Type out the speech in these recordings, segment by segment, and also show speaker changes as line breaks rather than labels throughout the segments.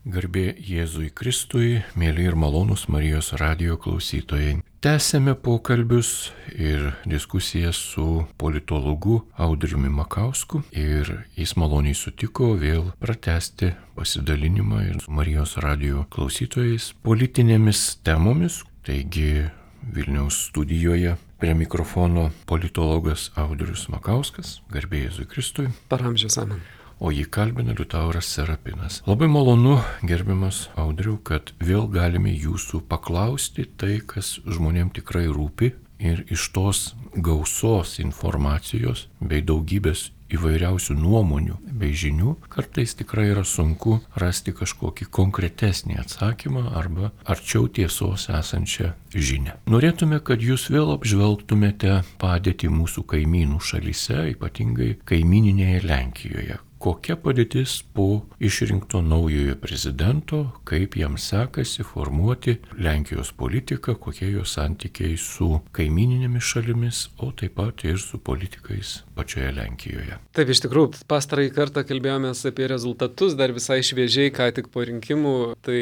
Garbė Jėzui Kristui, mėly ir malonūs Marijos radijo klausytojai. Tęsėme pokalbius ir diskusijas su politologu Audriumi Makausku ir jis maloniai sutiko vėl pratęsti pasidalinimą ir su Marijos radijo klausytojais politinėmis temomis. Taigi Vilniaus studijoje prie mikrofono politologas Audrius Makauskas, garbė Jėzui Kristui.
Per amžius amen.
O jį kalbina Liutauras Serapinas. Labai malonu, gerbiamas Audriu, kad vėl galime jūsų paklausti tai, kas žmonėms tikrai rūpi ir iš tos gausos informacijos bei daugybės įvairiausių nuomonių bei žinių kartais tikrai yra sunku rasti kažkokį konkretesnį atsakymą arba arčiau tiesos esančią žinią. Norėtume, kad jūs vėl apžvelgtumėte padėtį mūsų kaimynų šalyse, ypatingai kaimyninėje Lenkijoje. Kokia padėtis po išrinkto naujojo prezidento, kaip jam sekasi formuoti Lenkijos politiką, kokie jo santykiai su kaimininėmis šalimis, o taip pat ir su politikais pačioje Lenkijoje.
Taip, iš tikrųjų, pastarąjį kartą kalbėjomės apie rezultatus, dar visai šviežiai, ką tik po rinkimų, tai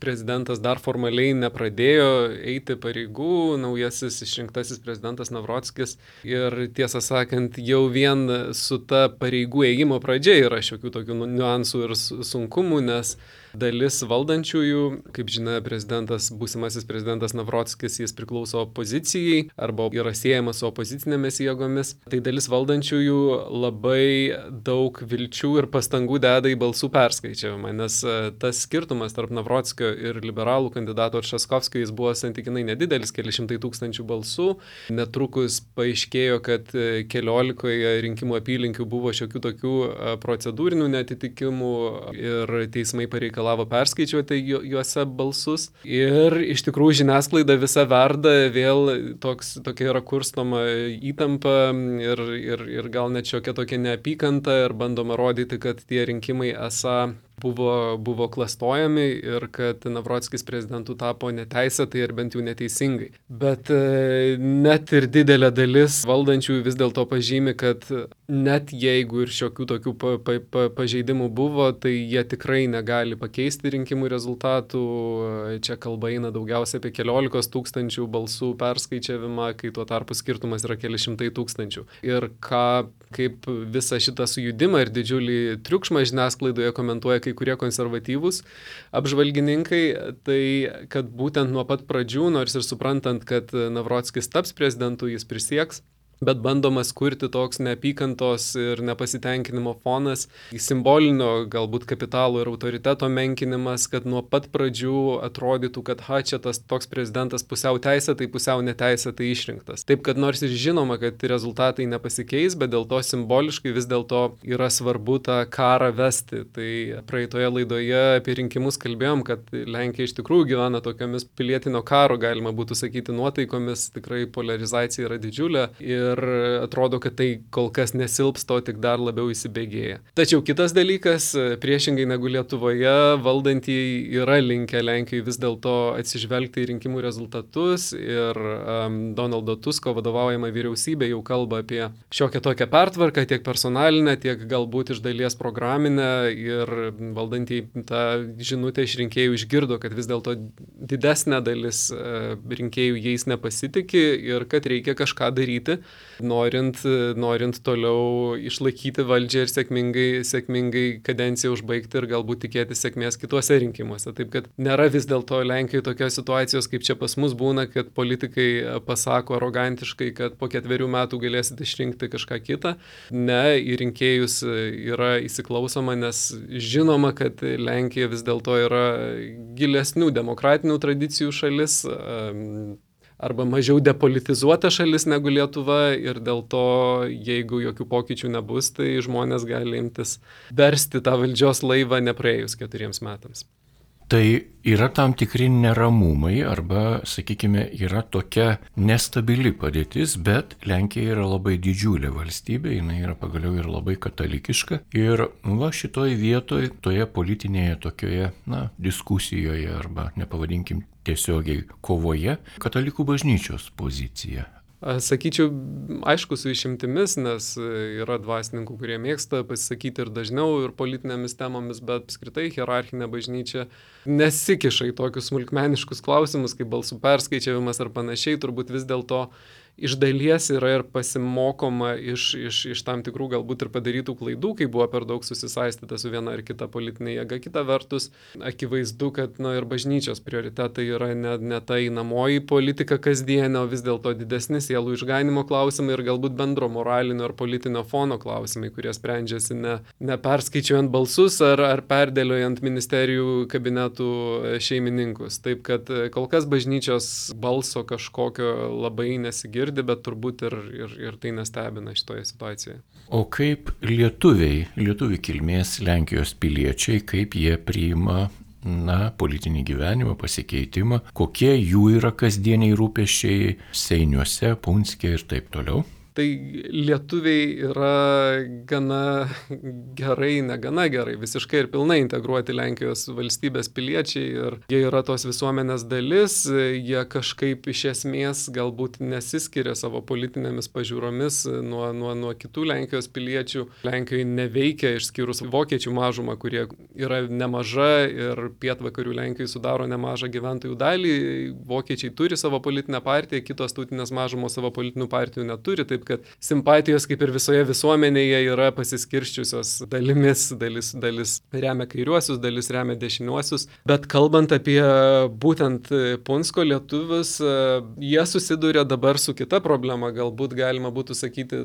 prezidentas dar formaliai nepradėjo eiti pareigų, naujasis išrinktasis prezidentas Navrockis ir tiesą sakant, jau vien su ta pareigų ėjimo pradžia yra šiokių tokių niuansų ir sunkumų, nes dalis valdančiųjų, kaip žinia, būsimasis prezidentas Navrockis, jis priklauso opozicijai arba yra siejamas su opozicinėmis jėgomis. Tai dalis valdančiųjų labai daug vilčių ir pastangų deda į balsų perskaičiavimą, nes tas skirtumas tarp Navrockio ir liberalų kandidato Trzaskowskio jis buvo santykinai nedidelis, keli šimtai tūkstančių balsų. Netrukus paaiškėjo, kad 14 rinkimų apylinkių buvo šiokių tokių procedūrinių neatitikimų ir teismai pareikalavo perskaičiuoti juose balsus. Ir iš tikrųjų žiniasklaida visa verda, vėl tokia yra kurstoma įtampa ir gal net šiokia tokia neapykanta ir bandoma rodyti, kad tie rinkimai esą buvo klastojami ir kad Navrockis prezidentu tapo neteisėtai ir bent jau neteisingai. Bet net ir didelė dalis valdančiųjų vis dėlto pažymi, kad net jeigu ir šiokių tokių pažeidimų buvo, tai jie tikrai negali pakeisti rinkimų rezultatų. Čia kalba eina daugiausia apie 14 tūkstančių balsų perskaičiavimą, kai tuo tarpu skirtumas yra keli šimtai tūkstančių. Ir kaip visą šitą sujudimą ir didžiulį triukšmą žiniasklaidoje komentuoja kai kurie konservatyvūs apžvalgininkai, tai kad būtent nuo pat pradžių, nors ir suprantant, kad Navrockis taps prezidentu, jis prisieks, bet bandomas kurti toks neapykantos ir nepasitenkinimo fonas, simbolinio galbūt kapitalo ir autoriteto menkinimas, kad nuo pat pradžių atrodytų, kad čia tas toks prezidentas pusiau teisėtai, pusiau neteisėtai išrinktas. Taip, kad nors ir žinoma, kad rezultatai nepasikeis, bet dėl to simboliškai vis dėlto yra svarbu tą karą vesti. Tai praeitoje laidoje apie rinkimus kalbėjom, kad Lenkija iš tikrųjų gyvena tokiamis pilietinio karo, galima būtų sakyti, nuotaikomis, tikrai polarizacija yra didžiulė. Ir atrodo, kad tai kol kas nesilpsto, tik dar labiau įsibėgėja. Tačiau kitas dalykas, priešingai negu Lietuvoje, valdantieji yra linkę Lenkijoje vis dėlto atsižvelgti į rinkimų rezultatus ir Donaldo Tusko vadovaujama vyriausybė jau kalba apie šiokią tokią pertvarką, tiek personalinę, tiek galbūt iš dalies programinę ir valdantieji tą žinutę iš rinkėjų išgirdo, kad vis dėlto didesnė dalis rinkėjų jais nepasitikė ir kad reikia kažką daryti, norint toliau išlaikyti valdžią ir sėkmingai kadenciją užbaigti ir galbūt tikėti sėkmės kituose rinkimuose. Taip, kad nėra vis dėlto Lenkijoje tokios situacijos, kaip čia pas mus būna, kad politikai pasako arogantiškai, kad po 4 metų galėsit išrinkti kažką kitą. Ne, į rinkėjus yra įsiklausoma, nes žinoma, kad Lenkija vis dėlto yra gilesnių demokratinių tradicijų šalis, arba mažiau depolitizuota šalis negu Lietuva ir dėl to, jeigu jokių pokyčių nebus, tai žmonės gali imtis versti tą valdžios laivą nepraėjus 4 metams.
Tai yra tam tikri neramumai arba, sakykime, yra tokia nestabili padėtis, bet Lenkija yra labai didžiulė valstybė, jinai yra pagaliau ir labai katalikiška. Ir šitoj vietoje, toje politinėje tokioje, diskusijoje arba nepavadinkim tiesiogiai kovoje, katalikų bažnyčios pozicija.
Sakyčiau, aišku, su išimtimis, nes yra dvasininkų, kurie mėgsta pasisakyti ir dažniau ir politinėmis temomis, bet apskritai hierarchinė bažnyčia nesikiša į tokius smulkmeniškus klausimus, kaip balsų perskaičiavimas ar panašiai, turbūt vis dėlto iš dalies yra ir pasimokoma iš tam tikrų galbūt ir padarytų klaidų, kai buvo per daug susisaistyta su viena ar kita politinė jėga. Kita vertus, akivaizdu, kad ir bažnyčios prioritetai yra ne ta einamoji politika kasdienė, o vis dėlto didesni sielų išganimo klausimai ir galbūt bendro moralinio ar politinio fono klausimai, kurie sprendžiasi ne perskaičiuojant balsus ar perdėliojant ministerijų kabinetų šeimininkus. Taip kad kol kas bažnyčios balso kažkokio labai nesigirdi, bet turbūt ir tai nestebina šitoje situacijoje.
O kaip lietuvių kilmės Lenkijos piliečiai, kaip jie priima politinį gyvenimą, pasikeitimą, kokie jų yra kasdieniai rūpesčiai Seiniuose, Punske ir taip toliau?
Tai lietuviai yra gana gerai, visiškai ir pilnai integruoti Lenkijos valstybės piliečiai ir jie yra tos visuomenės dalis, jie kažkaip iš esmės galbūt nesiskiria savo politinėmis pažiūromis nuo kitų Lenkijos piliečių. Lenkijoje neveikia išskyrus vokiečių mažumą, kurie yra nemaža ir pietvakarių Lenkijoje sudaro nemažą gyventojų dalį. Vokiečiai turi savo politinę partiją, kitos tautinės mažumos savo politinių partijų neturi, taip kad simpatijos kaip ir visoje visuomenėje yra pasiskirsčiusios dalimis, dalis remia kairiuosius, dalis remia dešiniuosius, bet kalbant apie būtent Punsko lietuvius, jie susiduria dabar su kita problema, galbūt galima būtų sakyti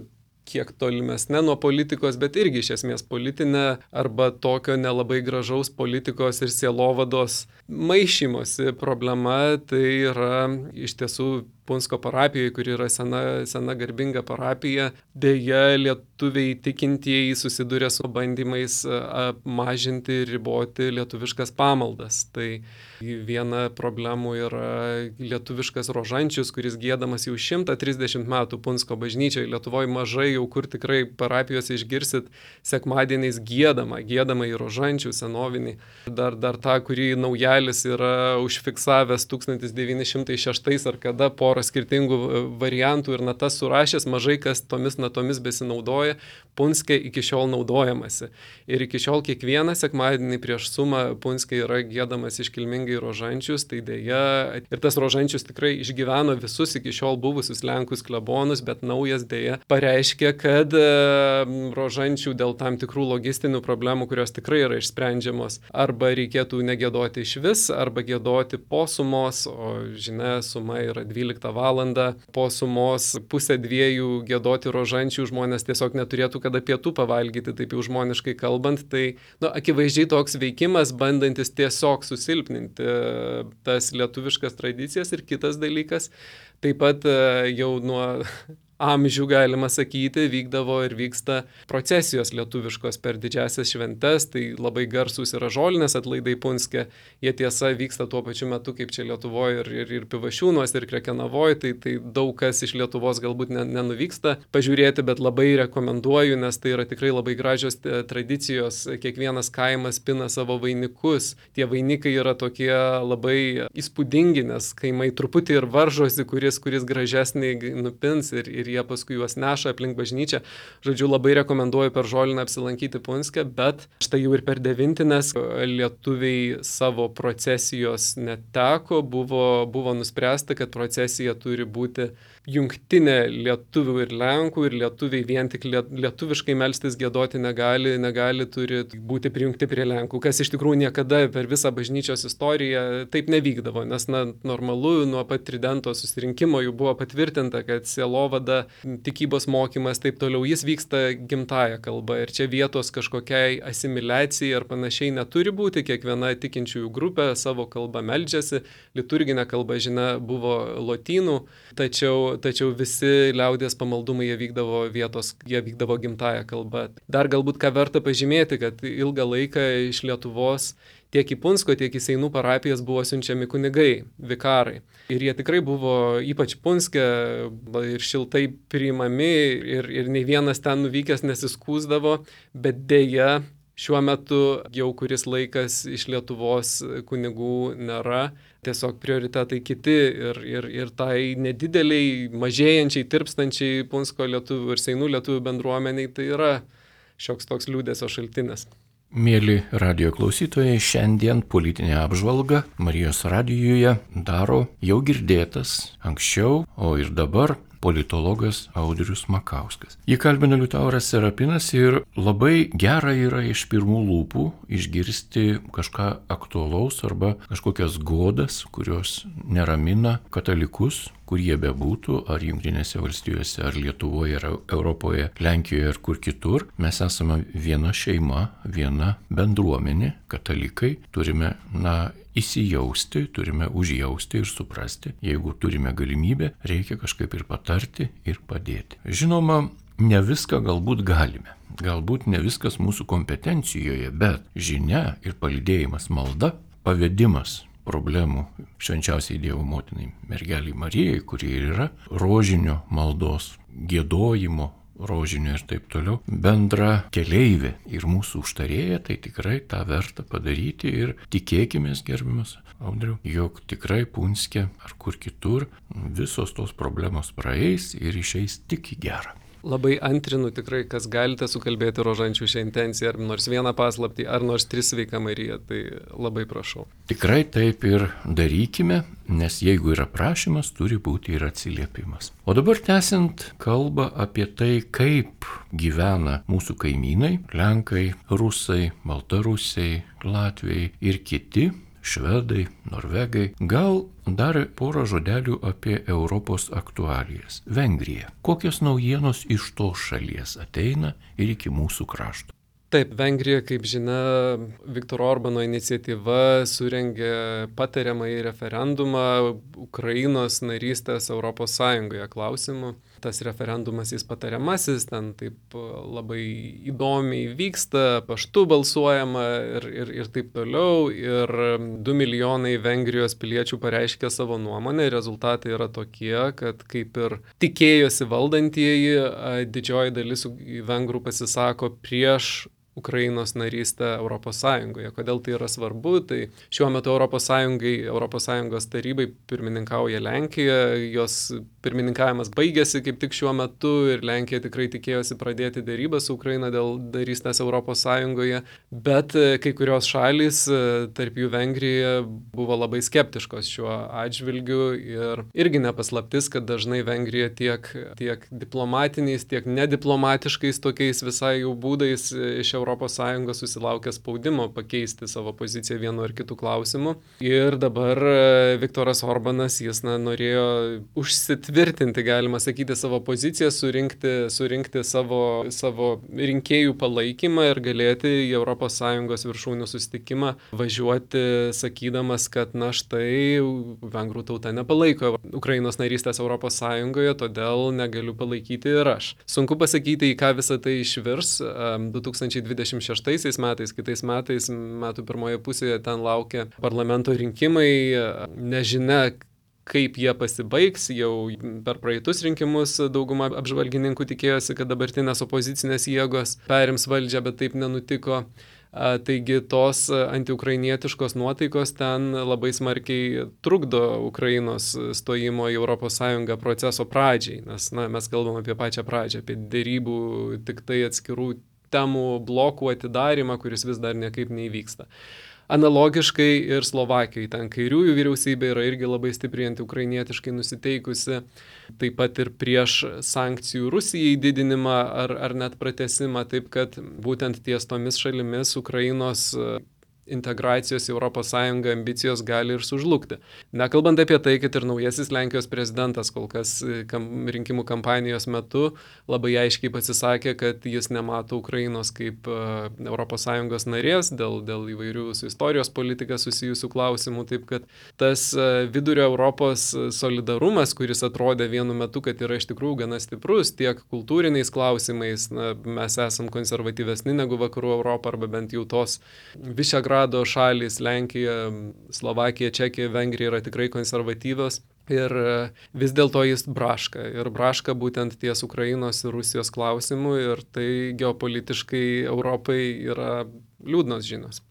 kiek tolimesnė nuo politikos, bet irgi iš esmės politinė arba tokio nelabai gražaus politikos ir sielovados maišymosi problema, tai yra iš tiesų Punsko parapijoje, kuri yra sena garbinga parapija, dėja lietuviai tikintieji susiduria su bandymais mažinti ir riboti lietuviškas pamaldas. Tai viena problemų yra lietuviškas rožančius, kuris giedamas jau 130 metų Punsko bažnyčioje. Lietuvoje mažai jau kur tikrai parapijose išgirsit sekmadieniais giedama į rožančių senovinį. Dar tą, kurį Naujalis yra užfiksavęs 1906 ar kada porą skirtingų variantų ir natas surašęs, mažai kas tomis natomis besinaudoja, Punske iki šiol naudojamasi. Ir iki šiol kiekvieną sekmadienį prieš sumą Punske yra giedamas iškilmingai rožančius, tai dėja, ir tas rožančius tikrai išgyveno visus iki šiol buvusius Lenkus klebonus, bet naujas dėja pareiškė, kad rožančių dėl tam tikrų logistinių problemų, kurios tikrai yra išsprendžiamos, arba reikėtų negėdoti iš vis, arba gėdoti po sumos, o žinia, suma yra 12 valandą, po sumos 1:30 gėdoti rožančių, žmonės tiesiog neturėtų kada pietų pavalgyti, taip jau žmoniškai kalbant, tai akivaizdžiai toks veikimas, bandantis tiesiog susilpninti tas lietuviškas tradicijas. Ir kitas dalykas, taip pat jau nuo amžių, galima sakyti, vykdavo ir vyksta procesijos lietuviškos per didžiasias šventes, tai labai garsūs yra žolinės atlaidai Punske, jie tiesa vyksta tuo pačiu metu kaip čia Lietuvoje ir Pivašiūnuose, ir Krekenavoje, tai daug kas iš Lietuvos galbūt nenuvyksta pažiūrėti, bet labai rekomenduoju, nes tai yra tikrai labai gražios tradicijos, kiekvienas kaimas pina savo vainikus, tie vainikai yra tokie labai įspūdingi, nes kaimai truputį ir varžosi, kuris gražesnį nupins ir jie paskui juos neša aplink bažnyčią. Žodžiu, labai rekomenduoju per žolinę apsilankyti Punske, bet štai jau ir per devintinės lietuviai savo procesijos neteko, buvo nuspręsta, kad procesija turi būti jungtinė lietuvių ir lenkų, ir lietuviai vien tik lietuviškai melstis giedoti negali, turi būti prijungti prie lenkų, kas iš tikrųjų niekada per visą bažnyčios istoriją taip nevykdavo, nes normalu, nuo pat Tridento susirinkimo jau buvo patvirtinta, kad sielovada, tikybos mokymas, taip toliau, jis vyksta gimtąja kalba ir čia vietos kažkokiai asimiliacijai ar panašiai neturi būti, kiekviena tikinčiųjų grupė savo kalbą meldžiasi, liturginė kalba, žinia, buvo lotynų, tačiau visi liaudies pamaldumai jie vykdavo gimtąja kalba. Dar galbūt ką verta pažymėti, kad ilgą laiką iš Lietuvos tiek į Punsko, tiek į Seinų parapijas buvo siunčiami kunigai, vikarai. Ir jie tikrai buvo, ypač Punske, ir šiltai priimami, ir nei vienas ten nuvykęs nesiskųsdavo, bet dėja Šiuo metu jau kuris laikas iš Lietuvos kunigų nėra, tiesiog prioritetai kiti ir tai nedideliai, mažėjančiai, tirpstančiai Punsko lietuvių ir Seinų lietuvių bendruomeniai tai yra šioks toks liūdesio šaltinis.
Mėly radio klausytojai, šiandien politinė apžvalga Marijos radijuje daro jau girdėtas anksčiau, o ir dabar politologas Audrius Makauskas. Jį kalbina Liutauras Serapinas ir labai gera yra iš pirmų lūpų išgirsti kažką aktualaus arba kažkokias godas, kurios neramina katalikus, kur jie bebūtų, ar Jungtinėse valstijose, ar Lietuvoje, ar Europoje, Lenkijoje, ar kur kitur. Mes esame viena šeima, viena bendruomenė, katalikai, turime, įsijausti, turime užjausti ir suprasti. Jeigu turime galimybę, reikia kažkaip ir patarti, ir padėti. Žinoma, ne viską galbūt galime. Galbūt ne viskas mūsų kompetencijoje, bet žinia ir palydėjimas malda, pavedimas problemų švenčiausiai Dievo motinai mergeliai Marijai, kuri ir yra rožinio maldos, giedojimo, rožinio ir taip toliau, bendra keleivė ir mūsų užtarėja, tai tikrai tą verta padaryti ir tikėkimės, gerbiamas Audriau, jog tikrai Punske ar kur kitur visos tos problemos praeis ir išeis tik į gerą.
Labai antrinu tikrai, kas galite sukalbėti rožančių šią intenciją, ar nors vieną paslaptį, ar nors 3 Sveika Marija, tai labai prašau.
Tikrai taip ir darykime, nes jeigu yra prašymas, turi būti ir atsiliepimas. O dabar tęsiant kalbą apie tai, kaip gyvena mūsų kaimynai, Lenkai, Rusai, Baltarusiai, Latviai ir kiti, švedai, norvegai, gal dar porą žodelių apie Europos aktualijas. Vengrija. Kokios naujienos iš tos šalies ateina ir iki mūsų krašto?
Taip, Vengrija, kaip žinia, Viktoro Orbano iniciatyva surengė patariamąjį referendumą Ukrainos narystės Europos Sąjungoje klausimu. Tas referendumas jis patariamasis, ten taip labai įdomiai vyksta, paštu balsuojama ir taip toliau. Ir 2 milijonai Vengrijos piliečių pareiškė savo nuomonę. Rezultatai yra tokie, kad kaip ir tikėjosi valdantieji, didžioji dalis vengrų pasisako prieš Ukrainos narystę Europos Sąjungoje. Kodėl tai yra svarbu? Tai šiuo metu Europos Sąjungos tarybai pirmininkauja Lenkija, jos pirmininkavimas baigėsi kaip tik šiuo metu ir Lenkija tikrai tikėjosi pradėti dėrybą su Ukraina dėl narystės Europos Sąjungoje, bet kai kurios šalys, tarp jų Vengrija, buvo labai skeptiškos šiuo atžvilgiu ir irgi nepaslaptis, kad dažnai Vengrija tiek diplomatiniais, tiek nediplomatiškais tokiais visai jau būdais iš Europos Sąjungos susilaukia spaudimo pakeisti savo poziciją vienu ar kitu klausimu. Ir dabar Viktoras Orbanas, jis norėjo užsitvirtinti, galima sakyti, savo poziciją, surinkti savo rinkėjų palaikymą ir galėti į Europos Sąjungos viršūnių susitikimą važiuoti, sakydamas, kad štai vengrų tauta nepalaiko Ukrainos narystės Europos Sąjungoje, todėl negaliu palaikyti ir aš. Sunku pasakyti, į ką visą tai išvirs. 2026 metais, kitais metais, metų pirmoje pusėje ten laukia parlamento rinkimai, nežinia, kaip jie pasibaigs. Jau per praeitus rinkimus dauguma apžvalgininkų tikėjosi, kad dabartinės opozicinės jėgos perims valdžią, bet taip nenutiko. Taigi tos antiukrainietiškos nuotaikos ten labai smarkiai trukdo Ukrainos stojimo į Europos Sąjungą proceso pradžiai, nes mes kalbam apie pačią pradžią, apie dėrybų tik tai atskirų temų blokų atidarimą, kuris vis dar niekaip neįvyksta. Analogiškai ir Slovakijoje, ten kairiųjų vyriausybė yra irgi labai stipriai antiukrainietiškai nusiteikusi, taip pat ir prieš sankcijų Rusijai didinimą ar net pratesimą, taip kad būtent ties tomis šalimis Ukrainos integracijos į Europos Sąjungą ambicijos gali ir sužlugti. Nekalbant apie tai, kad ir naujasis Lenkijos prezidentas kol kas rinkimų kampanijos metu labai aiškiai pasisakė, kad jis nemato Ukrainos kaip Europos Sąjungos narės dėl įvairių su istorijos politika susijusių klausimų, taip kad tas vidurio Europos solidarumas, kuris atrodė vienu metu, kad yra iš tikrųjų gana stiprus tiek kultūriniais klausimais, mes esam konservatyvesni negu Vakarų Europą arba bent jau tos Višegrado šalys, Lenkija, Slovakija, Čekija, Vengrija yra tikrai konservatyvios ir vis dėlto jis braška. Ir braška būtent ties Ukrainos ir Rusijos klausimu ir tai geopolitiškai Europai yra liūdnos žinios.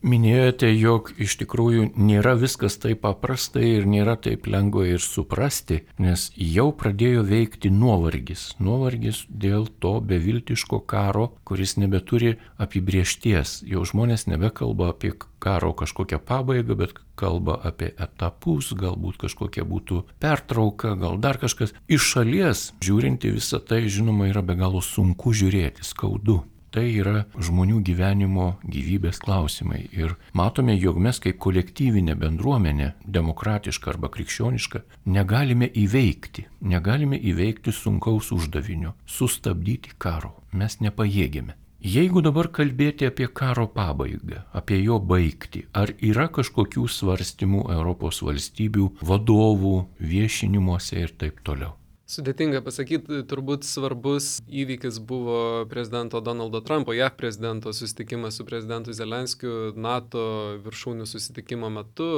Minėjote, jog iš tikrųjų nėra viskas taip paprasta ir nėra taip lengva ir suprasti, nes jau pradėjo veikti nuovargis. Nuovargis dėl to beviltiško karo, kuris nebeturi apibriešties. Jau žmonės nebekalba apie karo kažkokią pabaigą, bet kalba apie etapus, galbūt kažkokia būtų pertrauka, gal dar kažkas. Iš šalies žiūrinti visą tai, žinoma, yra be galo sunku žiūrėti, skaudu. Tai yra žmonių gyvenimo gyvybės klausimai. Ir matome, jog mes kaip kolektyvinė bendruomenė, demokratiška arba krikščioniška, negalime įveikti sunkaus uždavinio - sustabdyti karo. Mes nepajėgėme. Jeigu dabar kalbėti apie karo pabaigą, apie jo baigtį, ar yra kažkokių svarstymų Europos valstybių vadovų viešinimuose ir taip toliau?
Sudėtinga pasakyti, turbūt svarbus įvykis buvo prezidento Donaldo Trumpo, JAV prezidento susitikimas su prezidentu Zelenskiu NATO viršūnių susitikimo metu.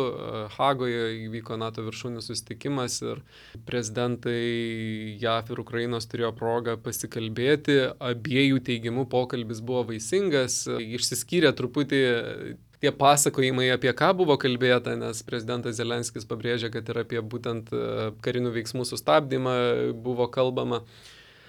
Hagoje įvyko NATO viršūnių susitikimas ir prezidentai JAV ir Ukrainos turėjo progą pasikalbėti. Abiejų teigiamų pokalbis buvo vaisingas, išsiskyrė truputį tie pasakojimai, apie ką buvo kalbėta, nes prezidentas Zelenskis pabrėžė, kad ir apie būtent karinių veiksmų sustabdymą buvo kalbama.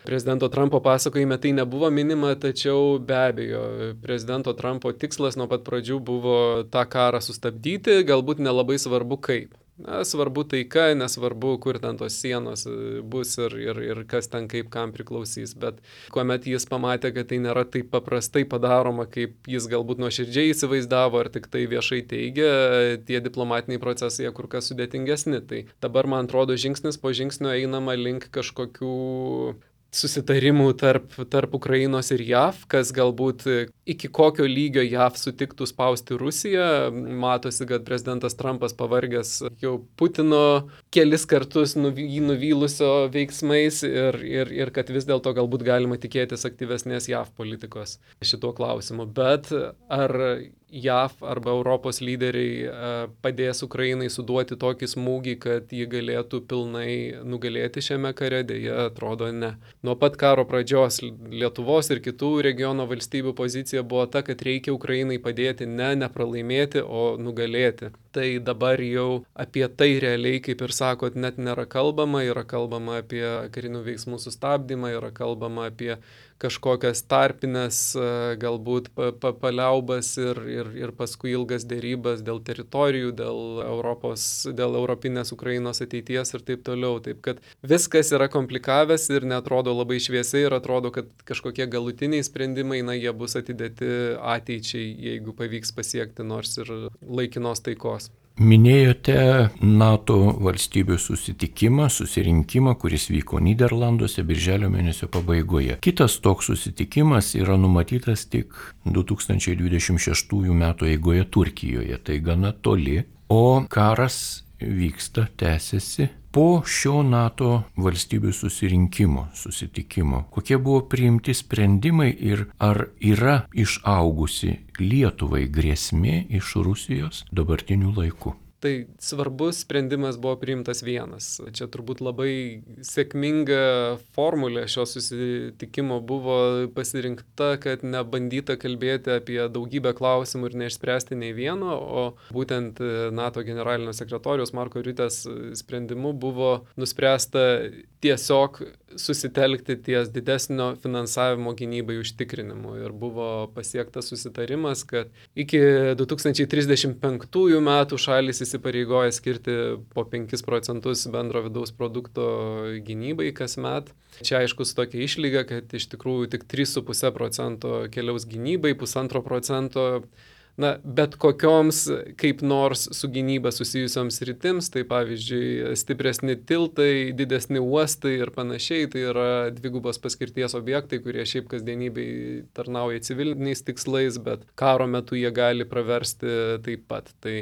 Prezidento Trumpo pasakojime tai nebuvo minima, tačiau be abejo, prezidento Trumpo tikslas nuo pat pradžių buvo tą karą sustabdyti, galbūt nelabai svarbu kaip. Svarbu taika, nesvarbu, kur ten tos sienos bus ir kas ten kaip kam priklausys. Bet kuomet jis pamatė, kad tai nėra taip paprastai padaroma, kaip jis galbūt nuoširdžiai įsivaizdavo ar tik tai viešai teigia, tie diplomatiniai procesai kur kas sudėtingesni. Tai dabar, man atrodo, žingsnis po žingsnio einama link kažkokių susitarimų tarp Ukrainos ir JAV, kas galbūt iki kokio lygio JAV sutiktų spausti Rusiją. Matosi, kad prezidentas Trumpas pavargęs jau Putino kelis kartus jį nuvylusio veiksmais ir kad vis dėlto galbūt galima tikėtis aktyvesnės JAV politikos šituo klausimu. Bet ar JAV arba Europos lyderiai padės Ukrainai suduoti tokį smūgį, kad ji galėtų pilnai nugalėti šiame kare? Deja, atrodo ne. Nuo pat karo pradžios Lietuvos ir kitų regiono valstybių pozicija buvo ta, kad reikia Ukrainai padėti ne pralaimėti, o nugalėti. Tai dabar jau apie tai realiai, kaip ir sakot, net nėra kalbama. Yra kalbama apie karinių veiksmų sustabdymą, yra kalbama apie kažkokias tarpines galbūt paliaubas ir paskui ilgas dėrybas dėl teritorijų, dėl europinės Ukrainos ateities ir taip toliau. Taip kad viskas yra komplikavęs ir neatrodo labai šviesiai ir atrodo, kad kažkokie galutiniai sprendimai, jie bus atidėti ateičiai, jeigu pavyks pasiekti nors ir laikinos taikos.
Minėjote NATO valstybių susirinkimą, kuris vyko Nyderlanduose birželio mėnesio pabaigoje. Kitas toks susitikimas yra numatytas tik 2026 metų eigoje Turkijoje, tai gana toli, o karas vyksta, tęsiasi. Po šio NATO valstybių susitikimo, kokie buvo priimti sprendimai ir ar yra išaugusi Lietuvai grėsmė iš Rusijos dabartiniu laiku?
Tai svarbus sprendimas buvo priimtas vienas. Čia turbūt labai sėkminga formulė šio susitikimo buvo pasirinkta, kad nebandyta kalbėti apie daugybę klausimų ir neišspręsti nei vieno, o būtent NATO generalinio sekretoriaus Marko Riutės sprendimu buvo nuspręsta tiesiog susitelkti ties didesnio finansavimo gynybai užtikrinimu. Ir buvo pasiektas susitarimas, kad iki 2035 metų šalys įsipareigoja skirti po 5% bendro vidaus produkto gynybai kasmet. Čia aišku su tokia išlyga, kad iš tikrųjų tik 3,5% keliaus gynybai, 1,5% bet kokioms kaip nors su gynyba susijusioms sritims, tai pavyzdžiui stipresni tiltai, didesni uostai ir panašiai, tai yra dvigubos paskirties objektai, kurie šiaip kasdienybei tarnauja civiliniais tikslais, bet karo metu jie gali praversti taip pat. Tai,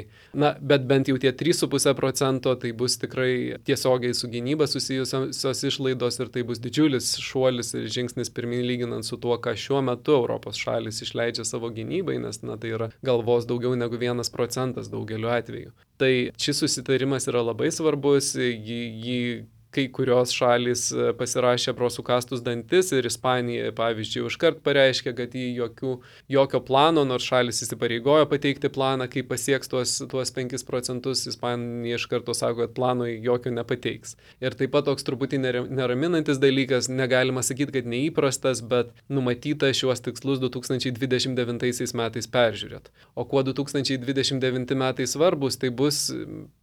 bet bent jau tie 3,5% tai bus tikrai tiesiogiai su gynyba susijusios išlaidos ir tai bus didžiulis šuolis ir žingsnis pirmin lyginant su tuo, ką šiuo metu Europos šalis išleidžia savo gynybai, nes tai yra galvos daugiau negu 1% daugeliu atveju. Tai šis susitarimas yra labai svarbus, jį kai kurios šalys pasirašė pro sukastus dantis ir Ispanija, pavyzdžiui, iškart pareiškė, kad jokio plano, nors šalis įsipareigojo pateikti planą, kai pasieks tuos 5%, Ispanija iš karto sako, kad plano jokio nepateiks. Ir taip pat toks truputį neraminantis dalykas, negalima sakyti, kad neįprastas, bet numatyta šiuos tikslus 2029 metais peržiūrėt. O kuo 2029 metai svarbus, tai bus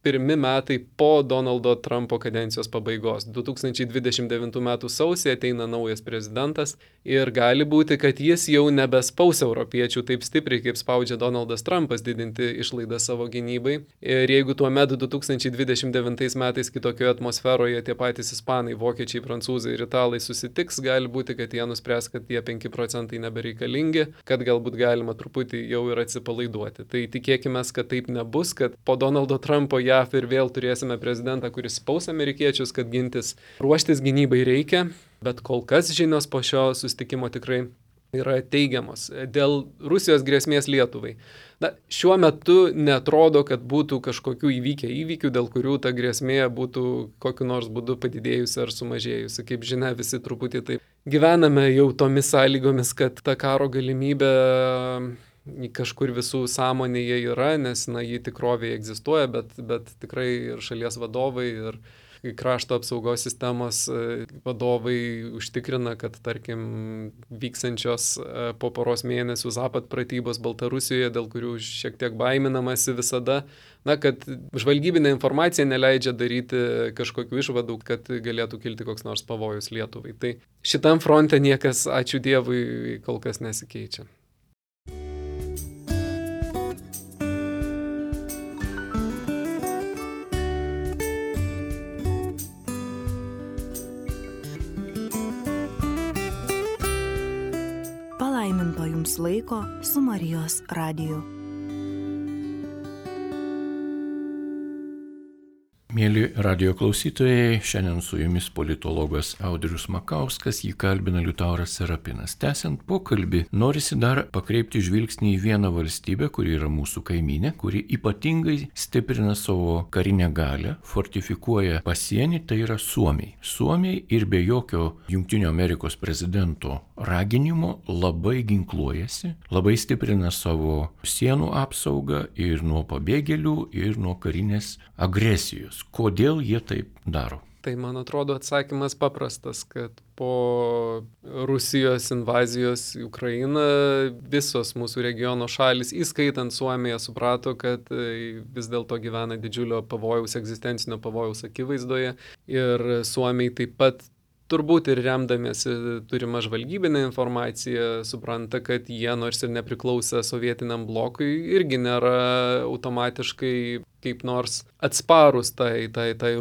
pirmi metai po Donaldo Trumpo kadencijos pabaigos. 2029 metų sausį ateina naujas prezidentas ir gali būti, kad jis jau nebespaus europiečių taip stipriai, kaip spaudžia Donaldas Trumpas didinti išlaidą savo gynybai. Ir jeigu tuo metu 2029 metais kitokioje atmosferoje tie patys ispanai, vokiečiai, prancūzai ir italai susitiks, gali būti, kad jie nuspręs, kad tie 5% nebereikalingi, kad galbūt galima truputį jau ir atsipalaiduoti. Tai tikėkime, kad taip nebus, kad po Donaldo Trumpo JAV ir vėl turėsime prezidentą, kuris spaus amerikiečius, kad ruoštis gynybai reikia, bet kol kas žinios po šio susitikimo tikrai yra teigiamos. Dėl Rusijos grėsmės Lietuvai. Šiuo metu netrodo, kad būtų kažkokių įvykių, dėl kurių ta grėsmė būtų kokiu nors būdu padidėjusi ar sumažėjusi. Kaip žinia, visi truputį taip gyvename jau tomis sąlygomis, kad ta karo galimybė kažkur visų sąmonėje yra, nes ji tikrovėje egzistuoja, bet tikrai ir šalies vadovai, ir krašto apsaugos sistemos vadovai užtikrina, kad, tarkim, vyksančios po poros mėnesių Zapad pratybos Baltarusijoje, dėl kurių šiek tiek baiminamasi visada, kad žvalgybinė informacija neleidžia daryti kažkokių išvadų, kad galėtų kilti koks nors pavojus Lietuvai. Tai šitam fronte niekas, ačiū Dievui, kol kas nesikeičia.
Palaiminto jums laiko su Marijos radiju.
Mėly radijo klausytojai, šiandien su jumis politologas Audrius Makauskas, jį kalbina Liutauras Serapinas. Tęsiant pokalbį, norisi dar pakreipti žvilgsnį į vieną valstybę, kuri yra mūsų kaimynė, kuri ypatingai stiprina savo karinę galią, fortifikuoja pasienį, tai yra Suomiai. Suomiai ir be jokio Jungtinių Amerikos prezidento raginimo labai ginkluojasi, labai stiprina savo sienų apsaugą ir nuo pabėgėlių, ir nuo karinės agresijos. Kodėl jie taip daro?
Tai, man atrodo, atsakymas paprastas, kad po Rusijos invazijos į Ukrainą visos mūsų regiono šalis, įskaitant Suomiją, suprato, kad vis dėlto gyvena didžiulio pavojaus, egzistencinio pavojaus akivaizdoje. Ir Suomiai taip pat turbūt ir remdamiesi turimą žvalgybinę informaciją supranta, kad jie, nors ir nepriklausę sovietiniam blokui, irgi nėra automatiškai kaip nors atsparus tai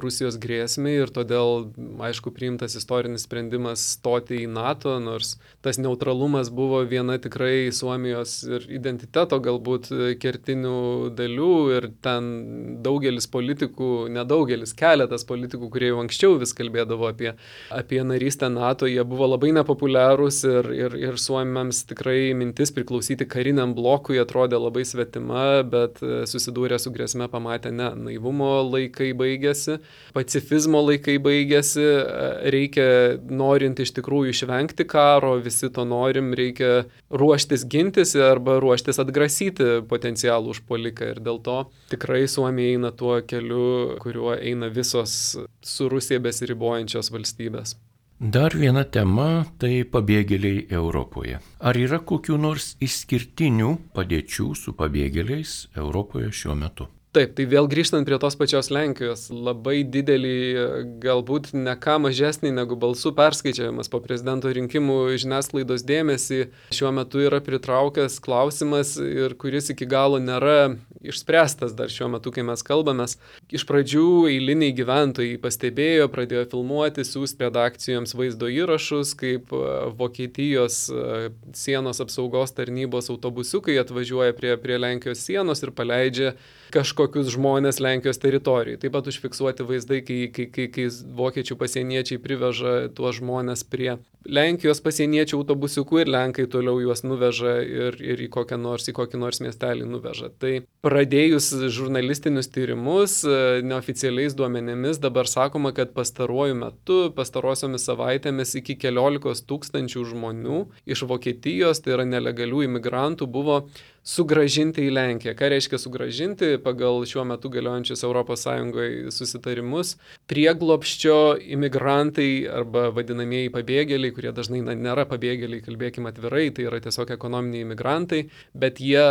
Rusijos grėsmei ir todėl, aišku, priimtas istorinis sprendimas stoti į NATO, nors tas neutralumas buvo viena tikrai Suomijos ir identiteto galbūt kertinių dalių ir ten daugelis politikų, nedaugelis, keletas politikų, kurie jau anksčiau vis kalbėdavo apie narystę NATO, jie buvo labai nepopuliarūs ir Suomiams tikrai mintis priklausyti kariniam blokui atrodė labai svetima, bet susidūrė su grėsme pamatė, naivumo laikai baigėsi, pacifizmo laikai baigėsi, reikia, norint iš tikrųjų išvengti karo, visi to norim, reikia ruoštis gintis arba ruoštis atgrasyti potencialų užpuoliką ir dėl to tikrai Suomija eina tuo keliu, kuriuo eina visos su Rusija besiribojančios valstybės.
Dar viena tema – tai pabėgėliai Europoje. Ar yra kokių nors išskirtinių padėčių su pabėgėliais Europoje šiuo metu?
Taip, tai vėl grįžtant prie tos pačios Lenkijos, labai didelį, galbūt ne ką mažesnį negu balsų perskaičiavimas po prezidento rinkimų žiniasklaidos dėmesį šiuo metu yra pritraukęs klausimas ir kuris iki galo nėra išspręstas dar šiuo metu, kai mes kalbamės. Iš pradžių eiliniai gyventojai pastebėjo, pradėjo filmuoti, siųsti redakcijoms vaizdo įrašus, kaip Vokietijos sienos apsaugos tarnybos autobusiukai atvažiuoja prie Lenkijos sienos ir paleidžia kažkokią kažkokius žmonės Lenkijos teritorijai. Taip pat užfiksuoti vaizdai, kai vokiečių pasieniečiai priveža tuos žmonės prie Lenkijos pasieniečių autobusiukų ir Lenkai toliau juos nuveža ir į kokį nors miestelį nuveža. Tai pradėjus žurnalistinius tyrimus, neoficialiais duomenimis dabar sakoma, kad pastarosiomis savaitėmis iki 14 000 žmonių iš Vokietijos, tai yra nelegalių imigrantų, buvo sugražinti į Lenkiją. Ką reiškia sugražinti? Pagal šiuo metu galiojančius ES susitarimus, prieglobsčio imigrantai arba vadinamieji pabėgėliai, kurie dažnai nėra pabėgėliai, kalbėkime atvirai, tai yra tiesiog ekonominiai imigrantai, bet jie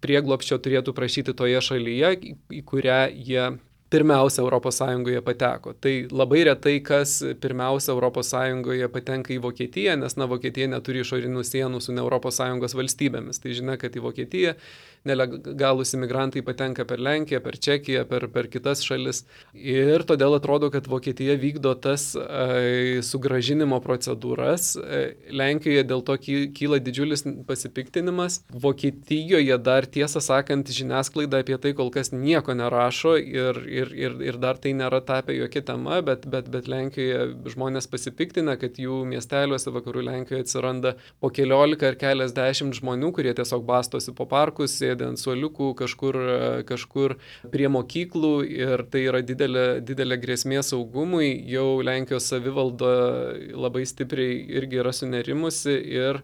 prieglobsčio turėtų prašyti toje šalyje, į kurią jie pirmiausia ES pateko. Tai labai retai, kas pirmiausia ES patenka į Vokietiją, nes Vokietija neturi išorinių sienų su ne ES valstybėmis. Tai žinia, kad į Vokietiją nelegalūs imigrantai patenka per Lenkiją, per Čekiją, per kitas šalis. Ir todėl atrodo, kad Vokietija vykdo tas sugražinimo procedūras. Lenkijoje dėl to kyla didžiulis pasipiktinimas. Vokietijoje dar, tiesą sakant, žiniasklaida apie tai kol kas nieko nerašo ir dar tai nėra tapę jokia tema, bet Lenkijoje žmonės pasipiktina, kad jų miesteliuose vakarų Lenkijoje atsiranda po 14 ar keliasdešimt žmonių, kurie tiesiog bastosi po parkus, sėdi ant suoliukų kažkur prie mokyklų ir tai yra didelė grėsmė saugumui. Jau Lenkijos savivalda labai stipriai irgi yra sunerimusi ir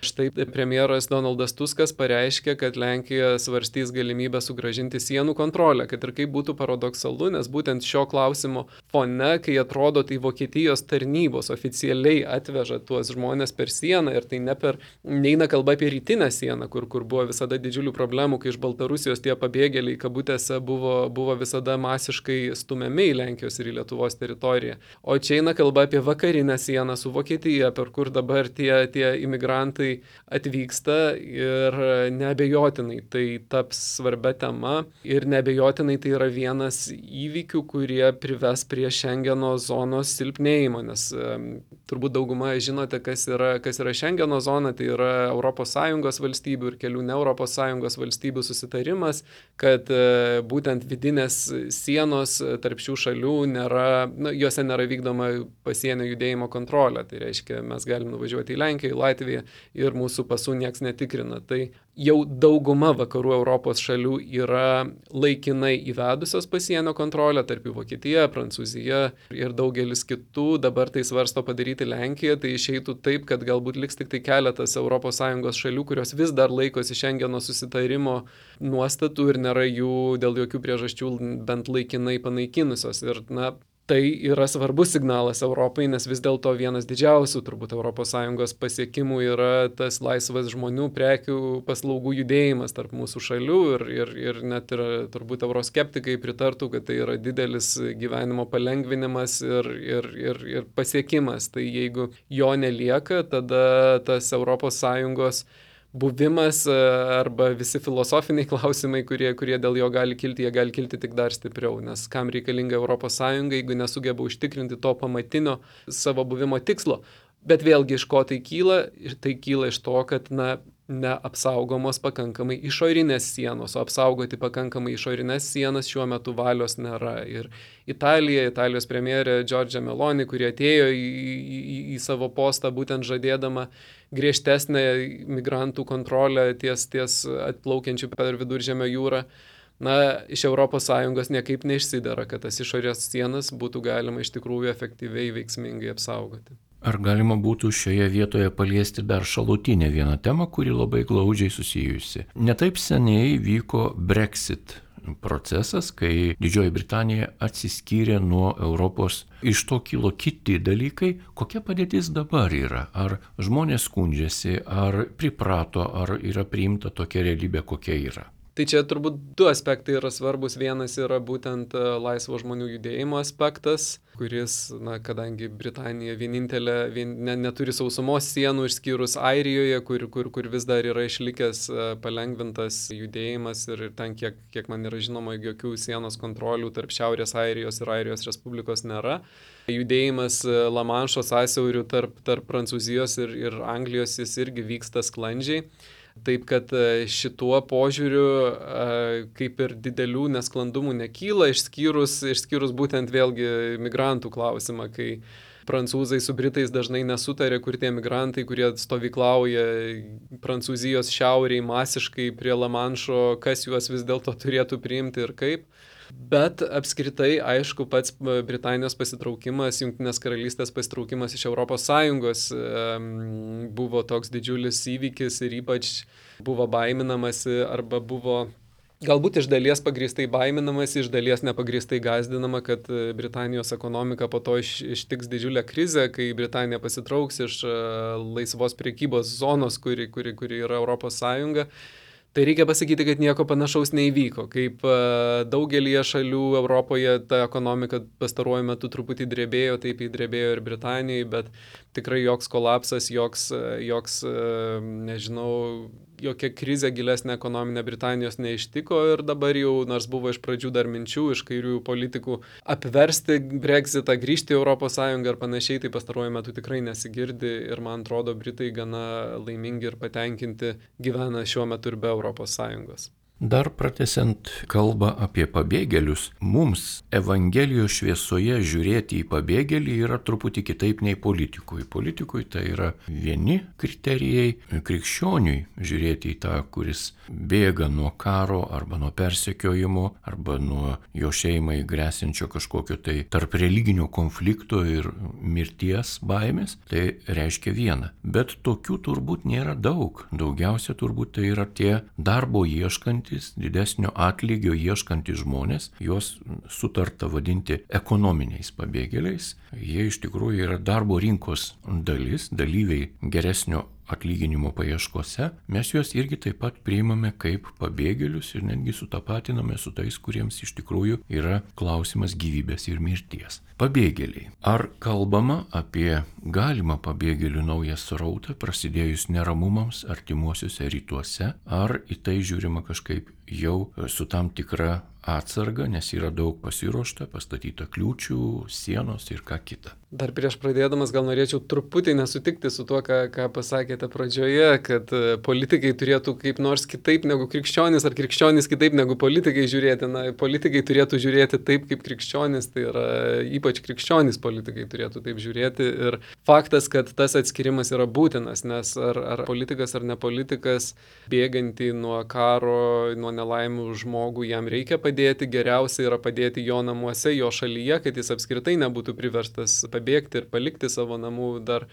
štai premjeras Donaldas Tuskas pareiškė, kad Lenkija svarstys galimybę sugrąžinti sienų kontrolę, kad ir kaip būtų paradoksalu, nes būtent šio klausimo fone, kai atrodo, tai Vokietijos tarnybos oficialiai atveža tuos žmonės per sieną ir tai neina kalba apie rytinę sieną, kur buvo visada didžiulių problemų, kai iš Baltarusijos tie pabėgėliai kabutėse buvo visada masiškai stumiami į Lenkijos ir į Lietuvos teritoriją. O čia eina kalba apie vakarinę sieną su Vokietija, per kur dabar tie imigrantai atvyksta ir neabejotinai tai taps svarbia tema ir neabejotinai tai yra vienas įvykių, kurie prives prie Šengeno zonos silpnėjimo, nes turbūt dauguma žinote, kas yra Šengeno zona, tai yra ES valstybių ir kelių ne ES valstybių susitarimas, kad būtent vidinės sienos tarp šių šalių juose nėra vykdoma pasienio judėjimo kontrolė. Tai reiškia, mes galim nuvažiuoti į Lenkiją, į Latviją ir mūsų pasų nieks netikrina. Tai jau dauguma vakarų Europos šalių yra laikinai įvedusios pasienio kontrolę, tarp jų Vokietija, Prancūzija ir daugelis kitų. Dabar tai svarsto padaryti Lenkija, tai išeitų taip, kad galbūt liks tik tai keletas ES šalių, kurios vis dar laikosi Šengeno susitarimo nuostatų ir nėra jų dėl jokių priežasčių bent laikinai panaikinusios. Ir tai yra svarbus signalas Europai, nes vis dėlto vienas didžiausių turbūt ES pasiekimų yra tas laisvas žmonių, prekių, paslaugų judėjimas tarp mūsų šalių ir net ir turbūt euroskeptikai pritartų, kad tai yra didelis gyvenimo palengvinimas ir pasiekimas. Tai jeigu jo nelieka, tada tas ES buvimas arba visi filosofiniai klausimai, kurie dėl jo gali kilti, jie gali kilti tik dar stipriau, nes kam reikalinga ES, jeigu nesugeba užtikrinti to pamatinio savo buvimo tikslo. Bet vėlgi iš ko tai kyla? Ir tai kyla iš to, kad neapsaugomos pakankamai išorinės sienos, o apsaugoti pakankamai išorinės sienas šiuo metu valios nėra. Ir Italijos premjerė Giorgia Meloni, kurie atėjo į savo postą būtent žadėdama griežtesnę migrantų kontrolę ties atplaukiančių per Viduržemio jūrą, iš ES niekaip neišsidera, kad tas išorės sienas būtų galima iš tikrųjų efektyviai, veiksmingai apsaugoti.
Ar galima būtų šioje vietoje paliesti dar šalutinę vieną temą, kuri labai glaudžiai susijusi? Netaip seniai vyko Brexit procesas, kai Didžioji Britanija atsiskyrė nuo Europos. Iš to kilo kiti dalykai. Kokia padėtis dabar yra? Ar žmonės skundžiasi, ar priprato, ar yra priimta tokia realybė, kokia yra?
Tai čia turbūt du aspektai yra svarbus. Vienas yra būtent laisvo žmonių judėjimo aspektas, kuris, kadangi Britanija vienintelė neturi sausumos sienų išskyrus Airijoje, kur vis dar yra išlikęs palengvintas judėjimas ir ten, kiek man yra žinoma, jokių sienos kontrolių tarp Šiaurės Airijos ir Airijos Respublikos nėra. Judėjimas Lamanšo sąsiauriu tarp Prancūzijos ir Anglijos jis irgi vyksta sklandžiai. Taip kad šituo požiūriu kaip ir didelių nesklandumų nekyla, išskyrus būtent vėlgi migrantų klausimą, kai prancūzai su britais dažnai nesutarė, kur tie migrantai, kurie stovyklauja Prancūzijos šiauriai masiškai prie Lamanšo, kas juos vis dėlto turėtų priimti ir kaip. Bet apskritai, aišku, pats Britanijos pasitraukimas, Jungtinės karalystės pasitraukimas iš ES buvo toks didžiulis įvykis ir ypač buvo baiminamasi arba buvo galbūt iš dalies pagrįstai baiminamasi, iš dalies nepagrįstai gąsdinama, kad Britanijos ekonomika po to ištiks didžiulę krizę, kai Britanija pasitrauks iš laisvos priekybos zonos, kuri yra ES. Tai reikia pasakyti, kad nieko panašaus neįvyko. Kaip daugelį šalių Europoje ta ekonomika pastaruoju metu truputį drebėjo, taip įdrebėjo ir Britanijai, bet tikrai joks kolapsas, jokia krizė gilesnė ekonominė Britanijos neištiko ir dabar jau, nors buvo iš pradžių dar minčių iš kairiųjų politikų apversti Brexitą, grįžti į ES ir panašiai, tai pastaruoju metu tikrai nesigirdi ir man atrodo, Britai gana laimingi ir patenkinti gyvena šiuo metu ir be ES.
Dar pratęsiant kalbą apie pabėgėlius, mums Evangelijos šviesoje žiūrėti į pabėgėlį yra truputį kitaip nei politikui. Politikui tai yra vieni kriterijai, krikščioniui žiūrėti į tą, kuris bėga nuo karo arba nuo persekiojimo arba nuo jo šeimai grėsinčio kažkokio tai tarp religinio konflikto ir mirties baimės, tai reiškia viena. Bet tokių turbūt nėra daug. Daugiausia turbūt tai yra tie darbo ieškantys, didesnio atlygio ieškantys žmonės, juos sutarta vadinti ekonominiais pabėgėliais. Jie iš tikrųjų yra darbo rinkos dalyviai geresnio atlyginimo paieškose. Mes juos irgi taip pat priimame kaip pabėgėlius ir netgi sutapatiname su tais, kuriems iš tikrųjų yra klausimas gyvybės ir mirties. Pabėgėliai. Ar kalbama apie galimą pabėgėlių naują srautą prasidėjus neramumams artimuosiuose rytuose, ar į tai žiūrima kažkaip jau su tam tikra atsarga, nes yra daug pasiruošta, pastatyta kliūčių, sienos ir ką kita.
Dar prieš pradėdamas gal norėčiau truputį nesutikti su tuo, ką pasakėte pradžioje, kad politikai turėtų kaip nors kitaip negu krikščionys, ar krikščionys kitaip negu politikai žiūrėti. Na, politikai turėtų žiūrėti taip kaip krikščionys, tai yra ypač krikščionys politikai turėtų taip žiūrėti. Ir faktas, kad tas atskirimas yra būtinas, nes ar politikas ar nepolitikas, bėgantį nuo karo, nuo nelaimių žmogų, jam reikia padėti, geriausia yra padėti jo namuose, jo šalyje, kad jis apskritai nebūtų priverstas pabėgti ir palikti savo namų. Dar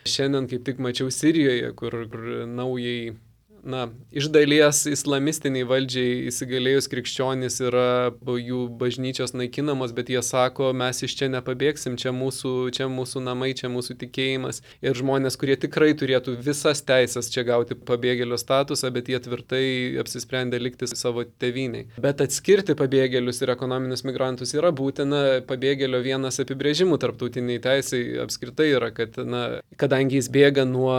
šiandien kaip tik mačiau Sirijoje, kur naujai, iš dalies islamistiniai valdžiai įsigalėjus krikščionys yra jų bažnyčios naikinamos, bet jie sako, mes iš čia nepabėgsim, čia mūsų namai, čia mūsų tikėjimas. Ir žmonės, kurie tikrai turėtų visas teisės čia gauti pabėgėlio statusą, bet jie tvirtai apsisprendė likti savo tėvynei. Bet atskirti pabėgėlius ir ekonominius migrantus yra būtina. Pabėgėlio vienas apibrėžimų tarptautiniai teisai apskritai yra, kad, kadangi jis bėga nuo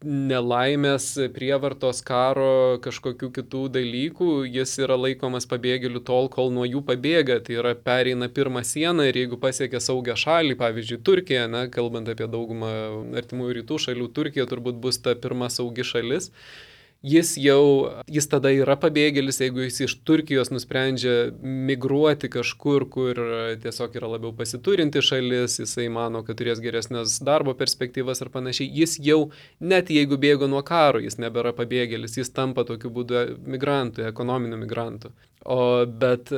nelaimės, prievartos, karo, kažkokių kitų dalykų, jis yra laikomas pabėgėliu tol, kol nuo jų pabėga. Tai yra pereina pirmą sieną ir jeigu pasiekia saugią šalį, pavyzdžiui, Turkiją, kalbant apie daugumą artimųjų rytų šalių, Turkija turbūt bus ta pirma saugi šalis. Jis tada yra pabėgėlis, jeigu jis iš Turkijos nusprendžia migruoti kažkur, kur tiesiog yra labiau pasiturinti šalis, jisai mano, kad turės geresnės darbo perspektyvas ar panašiai. Jis jau, net jeigu bėgo nuo karo, jis nebėra pabėgėlis, jis tampa tokiu būdu migrantu, ekonominiu migrantu. Bet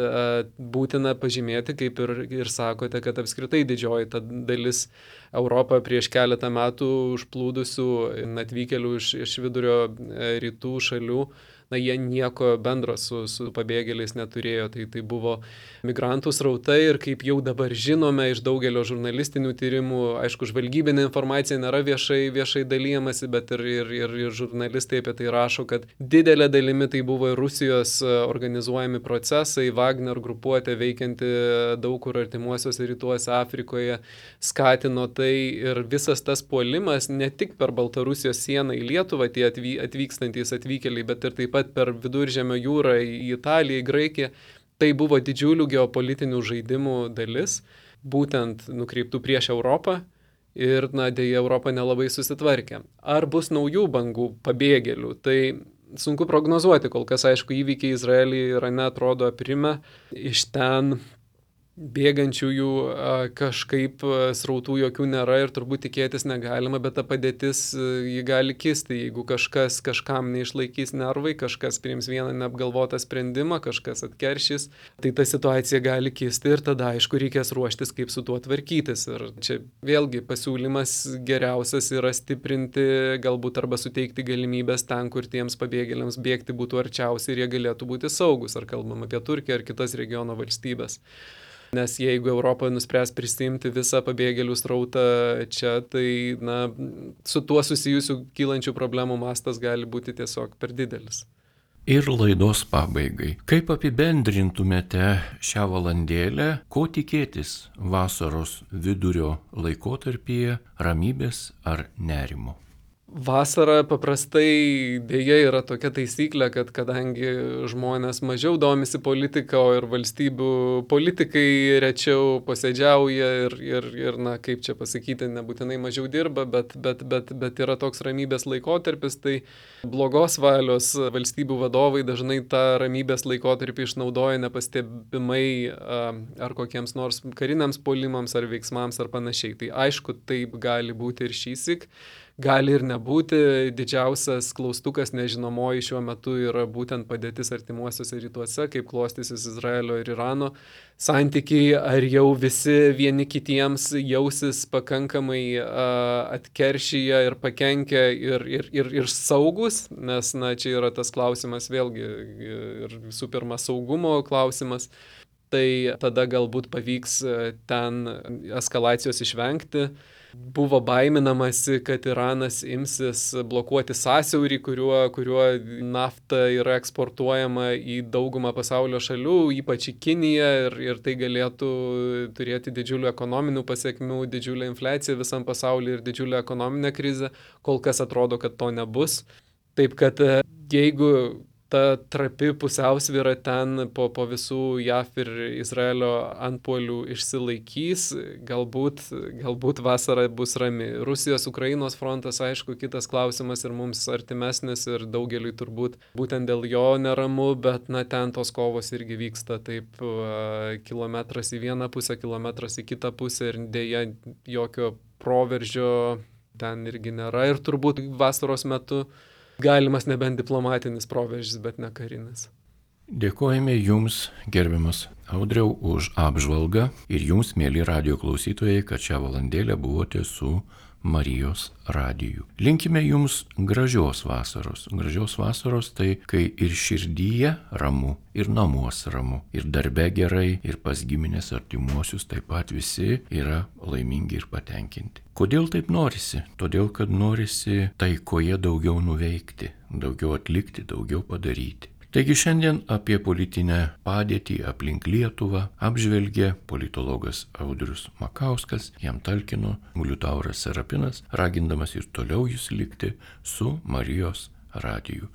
būtina pažymėti, kaip ir sakote, kad apskritai didžioji ta dalis Europą prieš keletą metų užplūdusių atvykėlių iš vidurio rytų šalių, jie nieko bendro su pabėgėliais neturėjo. Tai buvo migrantų srautai ir kaip jau dabar žinome iš daugelio žurnalistinių tyrimų, aišku, žvalgybinė informacija nėra viešai dalyjamasi, bet ir žurnalistai apie tai rašo, kad didelė dalimi tai buvo Rusijos organizuojami procesai, Wagner grupuotė veikianti daug kur artimuosiuose rytuose, Afrikoje, skatino tai ir visas tas puolimas ne tik per Baltarusijos sieną į Lietuvą tie atvykstantys atvykėliai, bet ir taip pat per Viduržemio jūrą į Italiją, į Graikiją. Tai buvo didžiulių geopolitinių žaidimų dalis, būtent nukreiptų prieš Europą ir, dėja, Europa nelabai susitvarkė. Ar bus naujų bangų pabėgėlių? Tai sunku prognozuoti, kol kas, aišku, įvykiai Izraelyje ir Irane atrodo aprimę. Iš ten bėgančiųjų kažkaip srautų jokių nėra ir turbūt tikėtis negalima, bet ta padėtis ji gali kisti, jeigu kažkas kažkam neišlaikys nervai, kažkas priims vieną neapgalvotą sprendimą, kažkas atkeršys, tai ta situacija gali kisti ir tada, aišku, reikės ruoštis, kaip su tuo tvarkytis. Ir čia vėlgi pasiūlymas geriausias yra stiprinti, galbūt arba suteikti galimybės ten, kur tiems pabėgėliams bėgti būtų arčiausiai ir jie galėtų būti saugus, ar kalbam apie Turkiją ar kitas regiono valstybės. Nes jeigu Europa nuspręs prisimti visą pabėgėlių srautą čia, tai su tuo susijusių kylančių problemų mastas gali būti tiesiog per didelis.
Ir laidos pabaigai. Kaip apibendrintumėte šią valandėlę, ko tikėtis vasaros vidurio laikotarpyje, ramybės ar nerimo?
Vasara paprastai dėja yra tokia taisyklė, kad kadangi žmonės mažiau domisi politika, o ir valstybių politikai rečiau posėdžiauja ir kaip čia pasakyti, nebūtinai mažiau dirba, bet yra toks ramybės laikotarpis, tai blogos valios valstybių vadovai dažnai tą ramybės laikotarpį išnaudoja nepastebimai ar kokiems nors kariniams puolimams ar veiksmams ar panašiai. Tai aišku, taip gali būti ir šįsyk. Gali ir nebūti. Didžiausias klaustukas nežinomoji šiuo metu yra būtent padėtis artimuosiuose rytuose, kaip klostysis Izraelio ir Irano santykiai, ar jau visi vieni kitiems jausis pakankamai atkeršyje ir pakenkę ir saugus, nes čia yra tas klausimas vėlgi ir visų pirma saugumo klausimas. Tai tada galbūt pavyks ten eskalacijos išvengti. Buvo baiminamasi, kad Iranas imsis blokuoti sąsiaurį, kuriuo nafta yra eksportuojama į daugumą pasaulio šalių, ypač į Kiniją, ir tai galėtų turėti didžiulių ekonominių pasiekmių, didžiulę infliaciją visam pasaulyje ir didžiulę ekonominę krizę. Kol kas atrodo, kad to nebus. Taip kad jeigu ta trapi pusiausvyra ten po visų JAF ir Izraelio antpuolių išsilaikys, galbūt vasara bus rami. Rusijos-Ukrainos frontas, aišku, kitas klausimas ir mums artimesnis ir daugeliui turbūt būtent dėl jo neramu, bet ten tos kovos irgi vyksta taip kilometras į vieną pusę, kilometras į kitą pusę ir dėja jokio proveržio ten irgi nėra ir turbūt vasaros metu galimas nebent diplomatinis proveržis, bet ne karinis.
Dėkojame Jums, gerbiamas Audriau, už apžvalgą ir Jums, mėly radijo klausytojai, kad šią valandėlę buvote su Marijos radiju. Linkime Jums gražios vasaros. Gražios vasaros tai, kai ir širdyje ramu, ir namuos ramu, ir darbe gerai, ir pas giminės artimuosius taip pat visi yra laimingi ir patenkinti. Kodėl taip norisi? Todėl, kad norisi taikoje daugiau nuveikti, daugiau atlikti, daugiau padaryti. Taigi šiandien apie politinę padėtį aplink Lietuvą apžvelgė politologas Audrius Makauskas, jam talkino Liutauras Serapinas, ragindamas ir toliau jūs likti su Marijos radiju.